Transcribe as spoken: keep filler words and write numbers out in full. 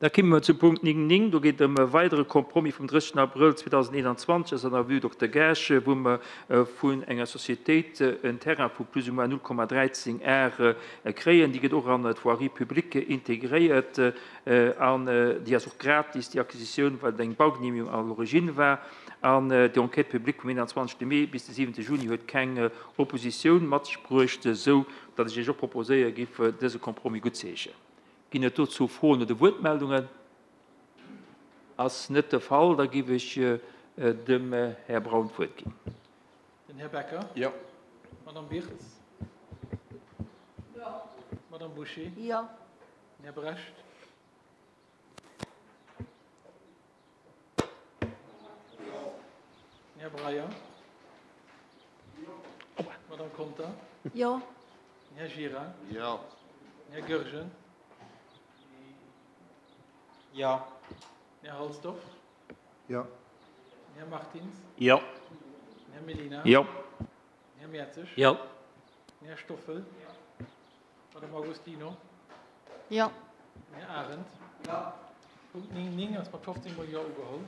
Da komme mer zum Punkt néng néng. Do geet et ëm e weidere Compromis vum drëssegsten Abrëll zweedausendeenanzwanzeg, ass an der Rue Dokter Gaasch, wou mer vun enger Sociétéit en Terrain vu plus ou moins null Komma dräizéng Ar kréien. Déi gëtt och an d'Voirie publique integréiert an déi ass och gratis, déi Acquisitioun, well et eng Baugenehmigung à l'origine war. An déi Enquête publique vum eenanzwanzegste Mee bis de siwente Juni huet keng Oppositioun mat sech bruecht, esou datt ech Iech och proposéiere giff, dëse Compromis guttzeheeschen. Ginn et dozou Froen oder Wuertmeldungen? Ass net de Fall, da giff ech dem Här Braun d'Wuert ginn. Den Här Becker. Jo. D'Madame Birtz. Jo. D'Madame Bouché. Jo. Den Här Brecht. Jo. Den Här Breyer. Jo. D'Madame Conter. Jo. Den Här Gira. Jo. Den Här Goergen. Jo. Den Här Halsdorf. Jo. Den Här Martins. Jo. Den Här Mellina. Jo. Den Här Mertzig. Jo. Den Här Stoffel. D'Madame Agostino. Jo. Den Här Arendt. Jo. Punkt néng néng ass mat fofzéng mol Jo ugeholl.